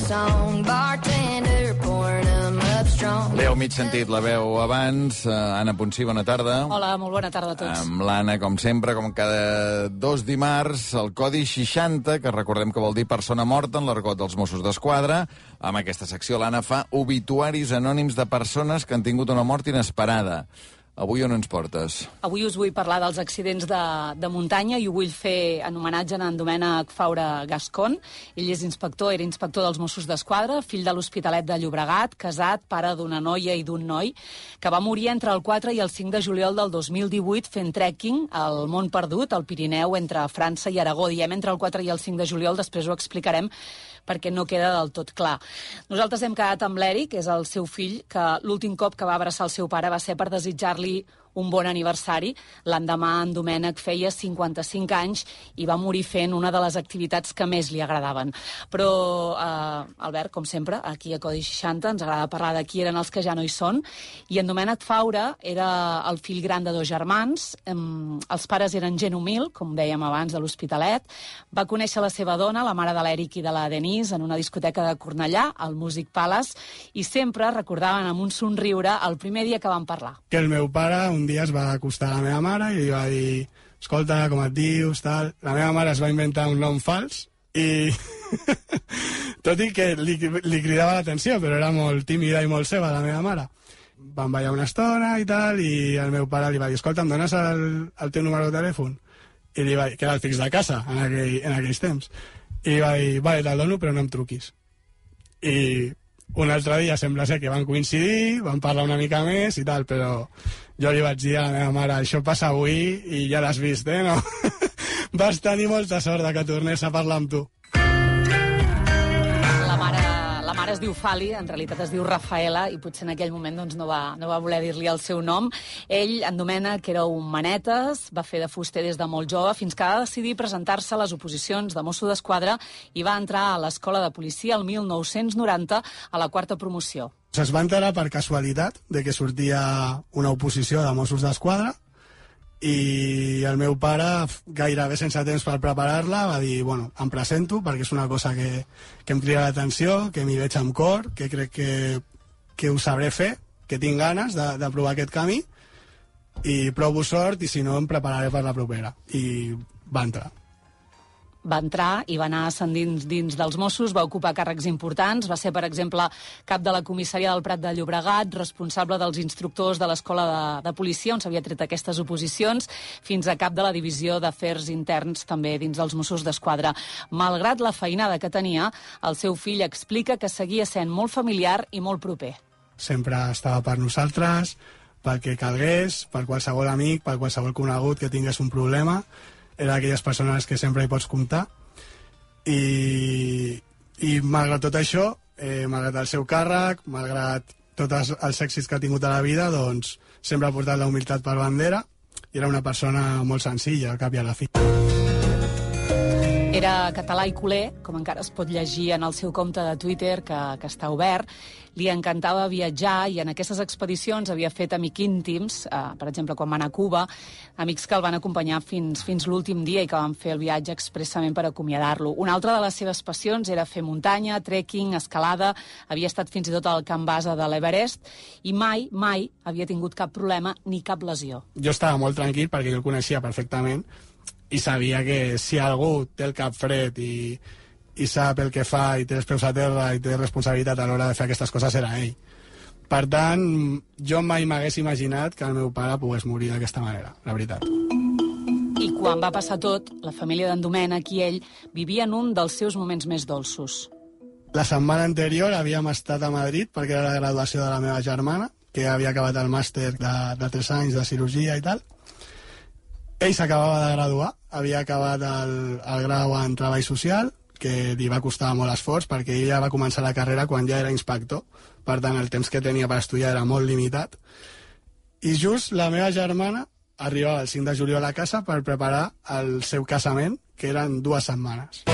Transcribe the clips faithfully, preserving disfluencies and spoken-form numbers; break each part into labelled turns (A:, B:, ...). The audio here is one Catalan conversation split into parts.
A: song, bartender pouring them up strong.
B: L'heu mig sentit la veu abans. Uh, Anna Ponsí, bona tarda.
C: Hola, molt bona tarda a tots.
B: Amb l'Anna, com sempre, com cada dos dimarts, el codi seixanta, que recordem que vol dir persona morta en l'argot dels Mossos d'Esquadra. Amb aquesta secció l'Anna fa obituaris anònims de persones que han tingut una mort inesperada. Avui on ens portes?
C: Avui us vull parlar dels accidents de, de muntanya i ho vull fer en homenatge a en Domènec Faura Gascon. Ell és inspector, era inspector dels Mossos d'Esquadra, fill de l'Hospitalet de Llobregat, casat, pare d'una noia i d'un noi, que va morir entre el quatre i el cinc de juliol del dos mil divuit fent trekking al Mont Perdut, al Pirineu, entre França i Aragó. Diem entre el quatre i el cinc de juliol, després ho explicarem, perquè no queda del tot clar. Nosaltres hem quedat amb l'Eric, que és el seu fill, que l'últim cop que va abraçar el seu pare va ser per desitjar-li un bon aniversari. L'endemà en Domènec feia cinquanta-cinc anys i va morir fent una de les activitats que més li agradaven. Però, eh, Albert, com sempre, aquí a Codi seixanta ens agrada parlar de qui eren els que ja no hi són. I en Domènec Faura era el fill gran de dos germans. Eh, els pares eren gent humil, com dèiem abans, de l'Hospitalet. Va conèixer la seva dona, la mare de l'Eric i de la Denise, en una discoteca de Cornellà, al Music Palace, i sempre recordaven amb un somriure el primer dia que van parlar.
D: Que el meu pare un dia es va acostar a la meva mare i li va dir: escolta, com et dius, tal... La meva mare es va inventar un nom fals i... tot i que li, li cridava l'atenció, però era molt tímida i molt seva, la meva mare. Vam ballar una estona i tal, i el meu pare li va dir: escolta, em dones el, el teu número de telèfon? I li va dir, que era el fix de casa en, aquell, en aquells temps. I li va dir: vale, te'l dono, però no em truquis. I un altre dia sembla ser que van coincidir, van parlar una mica més i tal, però jo li vaig dir a la meva mare: això passa avui i ja l'has vist, eh, no? Vas tenir molta sort de que tornés a parlar amb tu.
C: La mare, la mare es diu Fali, en realitat es diu Rafaela, i potser en aquell moment doncs, no, va, no va voler dir-li el seu nom. Ell, en Domènec, era un manetes, va fer de fuster des de molt jove, fins que va decidir presentar-se a les oposicions de Mosso d'Esquadra i va entrar a l'escola de policia el mil nou-cents noranta a la quarta promoció.
D: Es va enterar per casualitat de que sortia una oposició de Mossos d'Esquadra i el meu pare, gairebé sense temps per preparar-la, va dir: bueno, em presento perquè és una cosa que, que em crida l'atenció, que m'hi veig amb cor, que crec que, que ho sabré fer, que tinc ganes de, de provar aquest camí, i provo sort i si no em prepararé per la propera. I va entrar.
C: Va entrar i va anar ascendint dins dels Mossos, va ocupar càrrecs importants, va ser, per exemple, cap de la comissaria del Prat de Llobregat, responsable dels instructors de l'escola de, de policia, on s'havia tret aquestes oposicions, fins a cap de la divisió d'afers interns, també dins dels Mossos d'Esquadra. Malgrat la feinada que tenia, el seu fill explica que seguia sent molt familiar i molt proper.
D: Sempre estava per nosaltres, pel que calgués, per qualsevol amic, per qualsevol conegut que tingués un problema. Era d'aquelles persones que sempre hi pots comptar. I, i malgrat tot això, eh, malgrat el seu càrrec, malgrat tots els èxits que ha tingut a la vida, doncs sempre ha portat la humilitat per bandera i era una persona molt senzilla, al cap i a la fi.
C: Era català i culer, com encara es pot llegir en el seu compte de Twitter, que, que està obert. Li encantava viatjar i en aquestes expedicions havia fet amics íntims, eh, per exemple, quan va anar a Cuba, amics que el van acompanyar fins, fins l'últim dia i que van fer el viatge expressament per acomiadar-lo. Una altra de les seves passions era fer muntanya, trekking, escalada, havia estat fins i tot al camp base de l'Everest i mai, mai havia tingut cap problema ni cap lesió.
D: Jo estava molt tranquil perquè jo el coneixia perfectament i sabia que si algú té el cap fred i, i sap el que fa i té els peus a terra i té responsabilitat a l'hora de fer aquestes coses era ell. Per tant, jo mai m'hagués imaginat que el meu pare pogués morir d'aquesta manera, la veritat.
C: I quan va passar tot, la família d'en Domènec i ell vivien un dels seus moments més dolços.
D: La setmana anterior havíem estat a Madrid perquè era la graduació de la meva germana, que havia acabat el màster de, de tres anys de cirurgia i tal. Ell s'acabava de graduar, havia acabat el, el grau en Treball Social, que li va costar molt esforç perquè ell ja va començar la carrera quan ja era inspector, per tant el temps que tenia per estudiar era molt limitat. I just la meva germana arribava el cinc de juliol a casa per preparar el seu casament, que eren dues setmanes.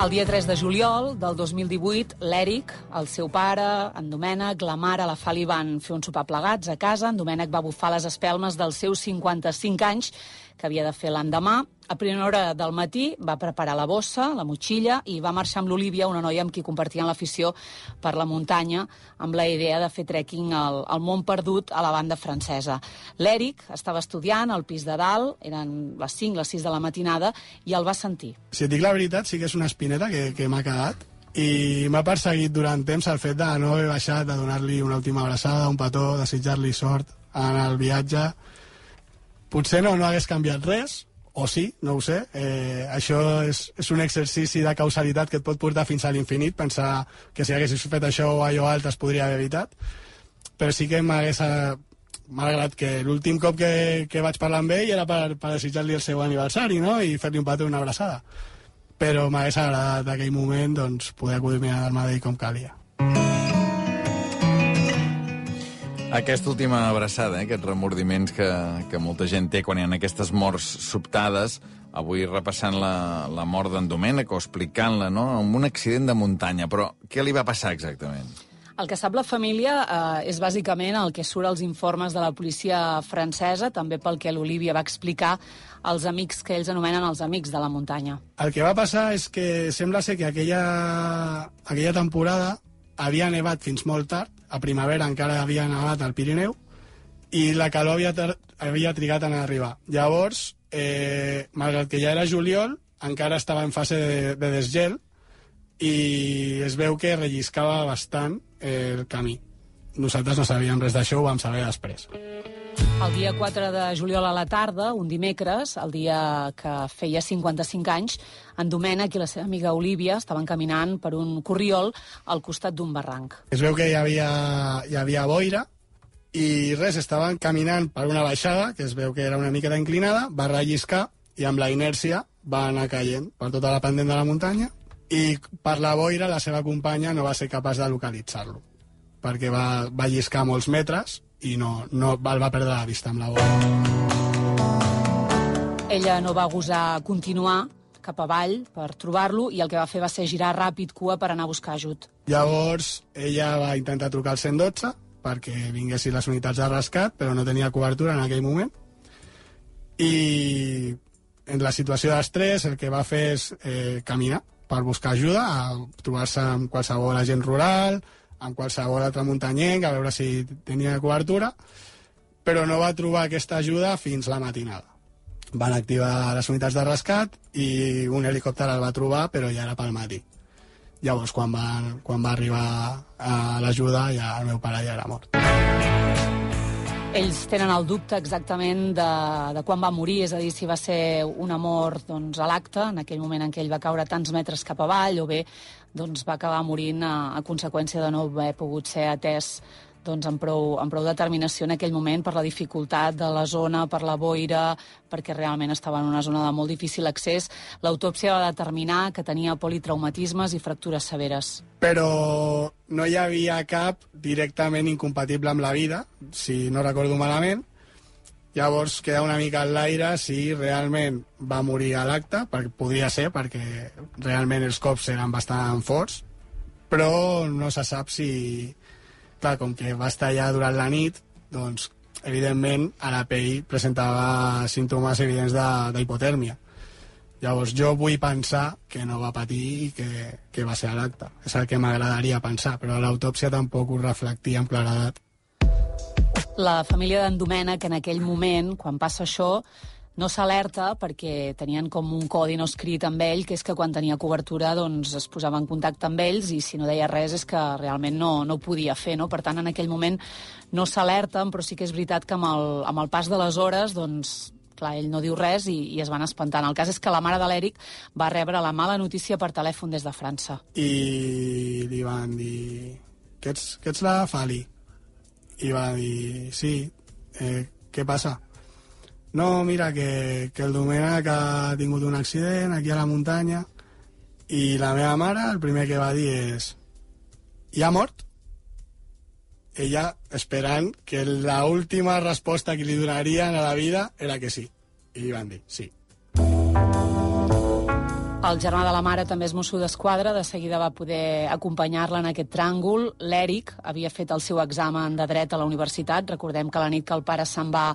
C: El dia tres de juliol del dos mil divuit, l'Eric, el seu pare, en Domènec, la mare, la Fali van fer un sopar plegats a casa. En Domènec va bufar les espelmes dels seus cinquanta-cinc anys, que havia de fer l'endemà. A primera hora del matí va preparar la bossa, la motxilla, i va marxar amb l'Olívia, una noia amb qui compartien l'afició per la muntanya, amb la idea de fer trekking al, al Mont Perdut a la banda francesa. L'Eric estava estudiant al pis de dalt, eren les cinc, les sis de la matinada, i el va sentir.
D: Si et dic la veritat, sí que és una espineta que, que m'ha cagat, i m'ha perseguit durant temps el fet de no haver baixat, de donar-li una última abraçada, un petó, desitjar-li sort en el viatge. Potser no, no hagués canviat res, o sí, no ho sé. Eh, això és, és un exercici de causalitat que et pot portar fins a l'infinit, pensar que si haguessis fet això o allò altre es podria haver evitat, però sí que m'hagués... Malgrat que l'últim cop que, que vaig parlar amb ell era per, per desitjar-li el seu aniversari, no?, i fer-li un petó i una abraçada. Però m'hagués agradat aquell moment doncs, poder acudir-me a dar-me d'ell com calia.
B: Aquesta última abraçada, eh, aquests remordiments que, que molta gent té quan hi ha aquestes morts sobtades, avui repassant la, la mort d'en Domènec o explicant-la, no?, amb un accident de muntanya. Però què li va passar exactament?
C: El que sap la família eh, és bàsicament el que surt als informes de la policia francesa, també pel que l'Olívia va explicar als amics que ells anomenen els amics de la muntanya.
D: El que va passar és que sembla ser que aquella, aquella temporada havia nevat fins molt tard, a primavera encara havia nevat al Pirineu, i la calor havia, havia trigat en arribar. Llavors, eh, malgrat que ja era juliol, encara estava en fase de, de desgel, i es veu que relliscava bastant el camí. Nosaltres no sabíem res d'això, ho vam saber després.
C: El dia quatre de juliol a la tarda, un dimecres, el dia que feia cinquanta-cinc anys, en Domènec i la seva amiga Olívia estaven caminant per un corriol al costat d'un barranc.
D: Es veu que hi havia, hi havia boira i res, estaven caminant per una baixada, que es veu que era una miqueta inclinada, va relliscar i amb la inèrcia va anar caient per tota la pendent de la muntanya, i per la boira la seva companya no va ser capaç de localitzar-lo, perquè va, va lliscar molts metres i no, no el va perdre la vista amb la boira.
C: Ella no va gosar continuar cap avall per trobar-lo i el que va fer va ser girar ràpid cua per anar a buscar ajut.
D: Llavors ella va intentar trucar al cent i dotze perquè vinguessin les unitats de rescat, però no tenia cobertura en aquell moment, i en la situació d'estrès el que va fer és eh, caminar per buscar ajuda, a trobar-se amb qualsevol agent rural, amb qualsevol altre muntanyenc, a veure si tenia cobertura, però no va trobar aquesta ajuda fins la matinada. Van activar les unitats de rescat i un helicòpter el va trobar, però ja era pel matí. Llavors, quan va, quan va arribar a l'ajuda, ja el meu pare ja era mort.
C: Ells tenen el dubte exactament de, de quan va morir, és a dir, si va ser una mort doncs, a l'acte, en aquell moment en què ell va caure tants metres cap avall, o bé doncs, va acabar morint a, a conseqüència de no haver pogut ser atès doncs, amb, prou, amb prou determinació en aquell moment per la dificultat de la zona, per la boira, perquè realment estava en una zona de molt difícil accés. L'autòpsia va determinar que tenia politraumatismes i fractures severes.
D: Però no hi havia cap directament incompatible amb la vida, si no recordo malament. Llavors queda una mica en l'aire si realment va morir a l'acte, perquè podria ser, perquè realment els cops eren bastant forts, però no se sap si... Clar, com que va estar allà durant la nit, doncs, evidentment, a la pell presentava símptomes evidents d'hipotèrmia. Llavors, jo vull pensar que no va patir i que, que va ser a l'acte. És el que m'agradaria pensar, però l'autòpsia tampoc ho reflectia amb claredat.
C: La família d'en Domènec, en aquell moment, quan passa això, no s'alerta perquè tenien com un codi no escrit amb ell, que és que quan tenia cobertura doncs, es posava en contacte amb ells i si no deia res és que realment no, no ho podia fer. No? Per tant, en aquell moment no s'alerten, però sí que és veritat que amb el, amb el pas de les hores, doncs, clar, ell no diu res i, i es van espantant. El cas és que la mare de l'Eric va rebre la mala notícia per telèfon des de França.
D: I li van dir, que ets, que ets la Fali? I va dir, sí, eh, què passa? No, mira, que, que el Domènec ha tingut un accident aquí a la muntanya i la meva mare el primer que va dir és i ha mort? Ella esperant que l'última resposta que li donarien a la vida era que sí. I li van dir sí.
C: El germà de la mare també és mosso d'esquadra, de seguida va poder acompanyar-la en aquest tràngol. L'Èric havia fet el seu examen de dret a la universitat. Recordem que la nit que el pare se'n va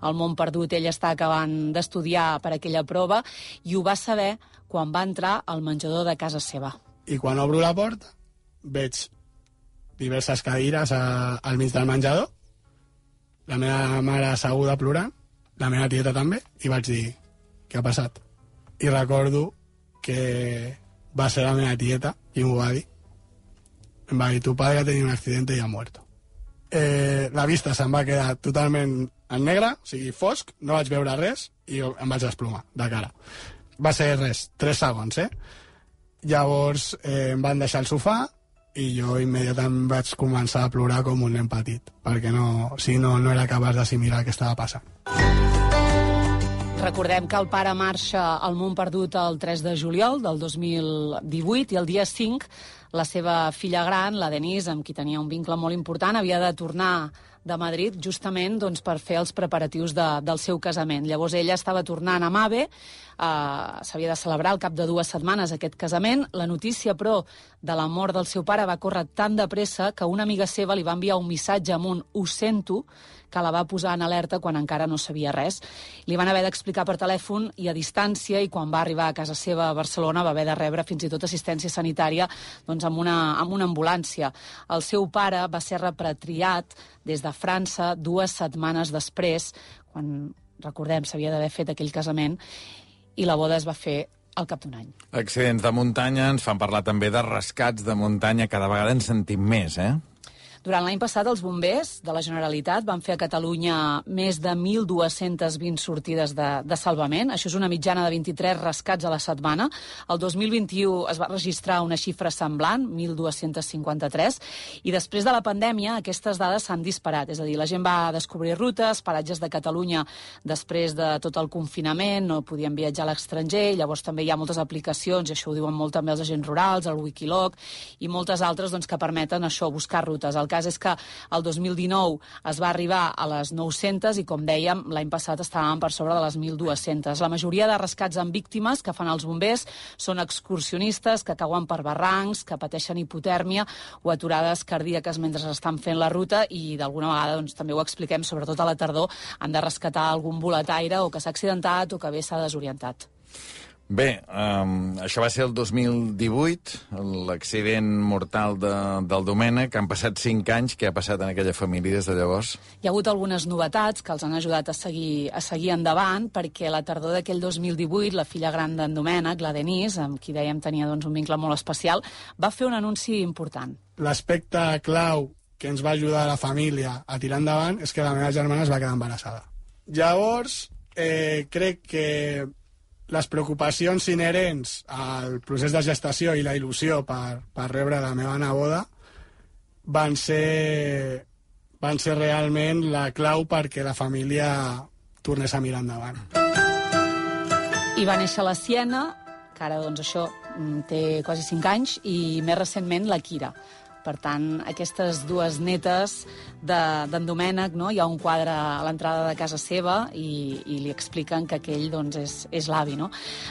C: al món perdut, ell està acabant d'estudiar per aquella prova, i ho va saber quan va entrar al menjador de casa seva.
D: I quan obro la porta, veig diverses cadires a, al mig del menjador, la meva mare asseguda plorant, la meva tieta també, i vaig dir, què ha passat? I recordo que va ser la meva tieta i m'ho va dir. Em va dir, tu padre ha tenido un accidente y ha muerto. Eh, la vista se'm va quedar totalment en negre, o sigui, fosc, no vaig veure res i em vaig desplomar de cara. Va ser res, tres segons, eh? Llavors eh, em van deixar al sofà i jo immediatament vaig començar a plorar com un nen petit, perquè no, si no, no era capaç d'assimilar el que estava passant.
C: Recordem que el pare marxa al món perdut el tres de juliol del dos mil divuit i el dia cinc la seva filla gran, la Denise, amb qui tenia un vincle molt important, havia de tornar de Madrid justament doncs, per fer els preparatius de, del seu casament. Llavors ella estava tornant a Mave, eh, s'havia de celebrar al cap de dues setmanes aquest casament. La notícia, però, de la mort del seu pare va córrer tan de pressa que una amiga seva li va enviar un missatge amb un «ho sento», que la va posar en alerta quan encara no sabia res. Li van haver d'explicar per telèfon i a distància, i quan va arribar a casa seva a Barcelona va haver de rebre fins i tot assistència sanitària doncs, amb, una, amb una ambulància. El seu pare va ser repatriat des de França dues setmanes després, quan, recordem, s'havia d'haver fet aquell casament, i la boda es va fer al cap d'un any.
B: Accidents de muntanya, ens fan parlar també de rescats de muntanya, cada vegada en sentim més, eh?
C: Durant l'any passat, els bombers de la Generalitat van fer a Catalunya més de mil dues-centes vint sortides de, de salvament. Això és una mitjana de vint-i-tres rescats a la setmana. El dos mil vint-i-u es va registrar una xifra semblant, mil dues-centes cinquanta-tres, i després de la pandèmia aquestes dades s'han disparat. És a dir, la gent va descobrir rutes, paratges de Catalunya després de tot el confinament, no podien viatjar a l'estranger, llavors també hi ha moltes aplicacions, i això ho diuen molt també els agents rurals, el Wikiloc, i moltes altres doncs, que permeten això, buscar rutes. El cas és que el dos mil dinou es va arribar a les nou-centes i, com dèiem, l'any passat estàvem per sobre de les mil dues-centes. La majoria de rescats amb víctimes que fan els bombers són excursionistes que cauen per barrancs, que pateixen hipotèrmia o aturades cardíaques mentre estan fent la ruta, i d'alguna vegada doncs, també ho expliquem, sobretot a la tardor, han de rescatar algun boletaire o que s'ha accidentat o que bé s'ha desorientat.
B: Bé, um, això va ser el dos mil divuit, l'accident mortal de, del Domènec, que han passat cinc anys. Què ha passat en aquella família des de llavors?
C: Hi ha hagut algunes novetats que els han ajudat a seguir, a seguir endavant, perquè la tardor d'aquell dos mil divuit, la filla gran d'en Domènec, la Denise, amb qui dèiem tenia doncs, un vincle molt especial, va fer un anunci important.
D: L'aspecte clau que ens va ajudar a la família a tirar endavant és que la meva germana es va quedar embarassada. Llavors, eh, crec que les preocupacions inherents al procés de gestació i la il·lusió per, per rebre la meva neboda van ser, van ser realment la clau perquè la família tornés a mirar endavant.
C: I va néixer la Siena, que ara doncs, això té quasi cinc anys, i més recentment la Kira. Per tant, aquestes dues netes d'en de, Domènec, no? Hi ha un quadre a l'entrada de casa seva i, i li expliquen que aquell doncs, és, és l'avi. No?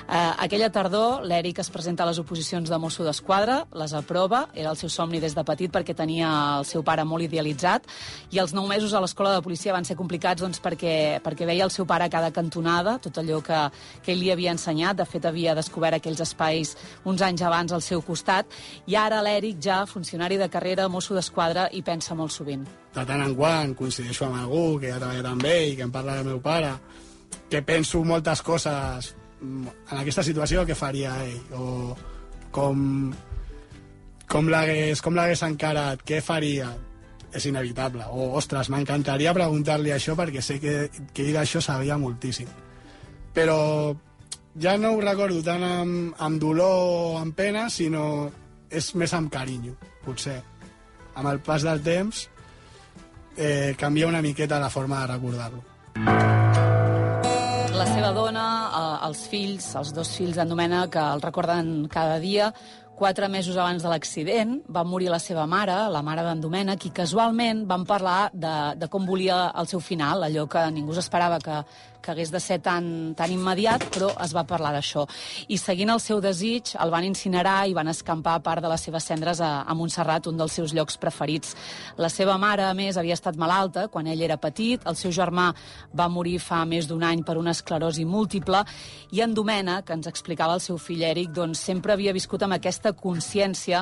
C: Eh, aquella tardor, l'Èric es presenta a les oposicions de mosso d'esquadra, les aprova, era el seu somni des de petit perquè tenia el seu pare molt idealitzat, i els nou mesos a l'escola de policia van ser complicats doncs, perquè, perquè veia el seu pare a cada cantonada, tot allò que, que ell li havia ensenyat. De fet, havia descobert aquells espais uns anys abans al seu costat, i ara l'Èric, ja funcionari de de carrera, mosso d'esquadra, i pensa molt sovint.
D: De tant en quant coincideixo amb algú que ja treballa amb ell i que em parla del meu pare, que penso moltes coses en aquesta situació que faria ell, o com, com l'hagués com l'hagués encarat, què faria. És inevitable. O, ostres, m'encantaria preguntar-li això perquè sé que, que ell d'això sabia moltíssim. Però ja no ho recordo tant amb, amb dolor o amb pena, sinó és més amb carinyo, potser. Amb el pas del temps eh, canvia una miqueta la forma de recordar-lo.
C: La seva dona, eh, els fills, els dos fills d'en Domènec, que el recorden cada dia, Quatre mesos abans de l'accident va morir la seva mare, la mare d'en Domènec, i casualment van parlar de, de com volia el seu final, allò que ningú s'esperava que, que hagués de ser tan, tan immediat, però es va parlar d'això. I seguint el seu desig, el van incinerar i van escampar part de les seves cendres a, a Montserrat, un dels seus llocs preferits. La seva mare, a més, havia estat malalta quan ell era petit, el seu germà va morir fa més d'un any per una esclerosi múltiple, i en Domènec, que ens explicava el seu fill Eric, doncs sempre havia viscut amb aquesta consciència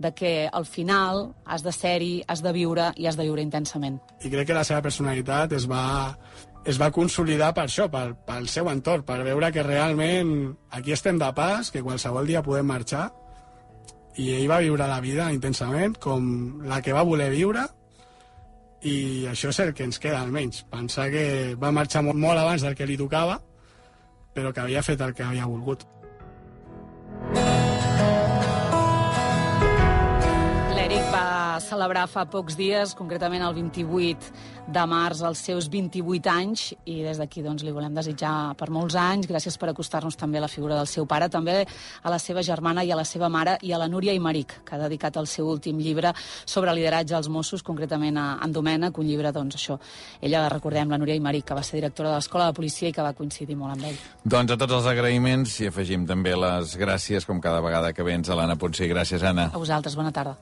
C: de que al final has de ser-hi, has de viure i has de viure intensament.
D: I crec que la seva personalitat es va, es va consolidar per això, pel, pel seu entorn, per veure que realment aquí estem de pas, que qualsevol dia podem marxar, i ell va viure la vida intensament, com la que va voler viure, i això és el que ens queda almenys. Pensar que va marxar molt, molt abans del que li tocava, però que havia fet el que havia volgut.
C: L'Eric va celebrar fa pocs dies, concretament el vint-i-vuit de març, els seus vint-i-vuit anys, i des d'aquí doncs, li volem desitjar per molts anys. Gràcies per acostar-nos també a la figura del seu pare, també a la seva germana i a la seva mare, i a la Núria Aymeric, que ha dedicat el seu últim llibre sobre lideratge als Mossos, concretament a en Domènec, un llibre, doncs, això. Ella, recordem, la Núria Aymeric, que va ser directora de l'Escola de Policia i que va coincidir molt amb ell.
B: Doncs a tots els agraïments i afegim també les gràcies, com cada vegada que vens, a l'Anna Poncé. Gràcies, Anna.
C: A vosaltres, bona tarda.